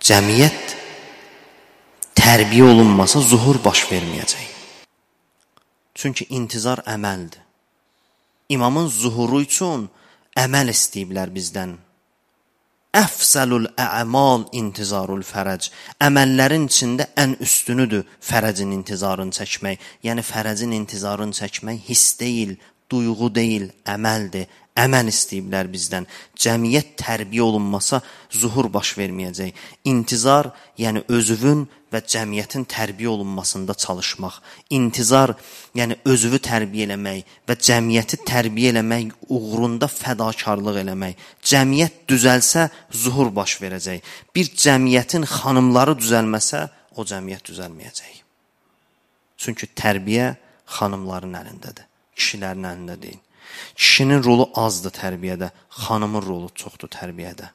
cəmiyyət tərbiyə olunmasa zuhur baş verməyəcək. Çünki intizar əməldir. İmamın zuhuru üçün əməl istəyiblər bizdən. Əfzəlul ə'mal intizarul fərəc. Əməllərin içində ən üstünüdür fərəcin intizarını çəkmək. Yəni fərəcin intizarını çəkmək hiss deyil, duyğu deyil, əməldir. Əməl istəyiblər bizdən. Cəmiyyət tərbiyə olunmasa zuhur baş verməyəcək. İntizar, yəni özünün və cəmiyyətin tərbiyə olunmasında çalışmaq. İntizar, yəni özünü tərbiyə eləmək və cəmiyyəti tərbiyə eləmək uğrunda fədakarlıq eləmək. Cəmiyyət düzəlsə zuhur baş verəcək. Bir cəmiyyətin xanımları düzəlməsə o cəmiyyət düzəlməyəcək. Çünki tərbiyə xanımların əlindədir, kişilərin əlində deyil. Kişinin rolu azdır tərbiyədə, xanımın rolu çoxdur tərbiyədə.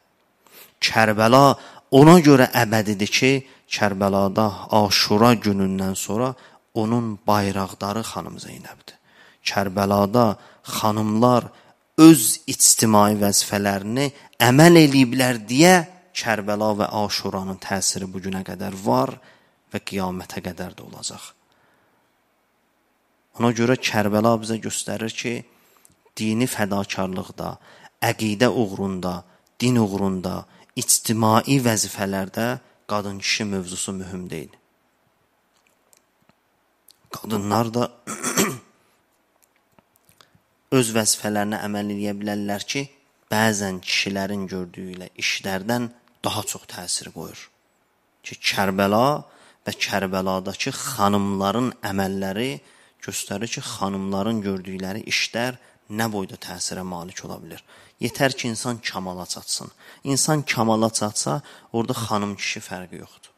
Kərbəla ona görə əbədidir ki, Kərbəlada Aşura günündən sonra onun bayraqdarı xanım Zeynəbdir. Kərbəlada xanımlar öz ictimai vəzifələrini əməl eləyiblər deyə Kərbəla və Aşuranın təsiri bugünə qədər var və qiyamətə qədər də olacaq. Ona görə Kərbəla bizə göstərir ki, dini fədakarlıqda, əqidə uğrunda, din uğrunda, ictimai vəzifələrdə qadın-kişi mövzusu mühüm deyil. Qadınlar da öz vəzifələrinə əməl edə bilərlər ki, bəzən kişilərin gördüyü ilə işlərdən daha çox təsir qoyur. Ki, Kərbəla və Kərbəladakı xanımların əməlləri göstərir ki, xanımların gördükləri işlər nə boyda təsirə malik ola bilər. Yetər ki, insan kamala çatsın. İnsan kamala çatsa, orada xanım-kişi fərqi yoxdur.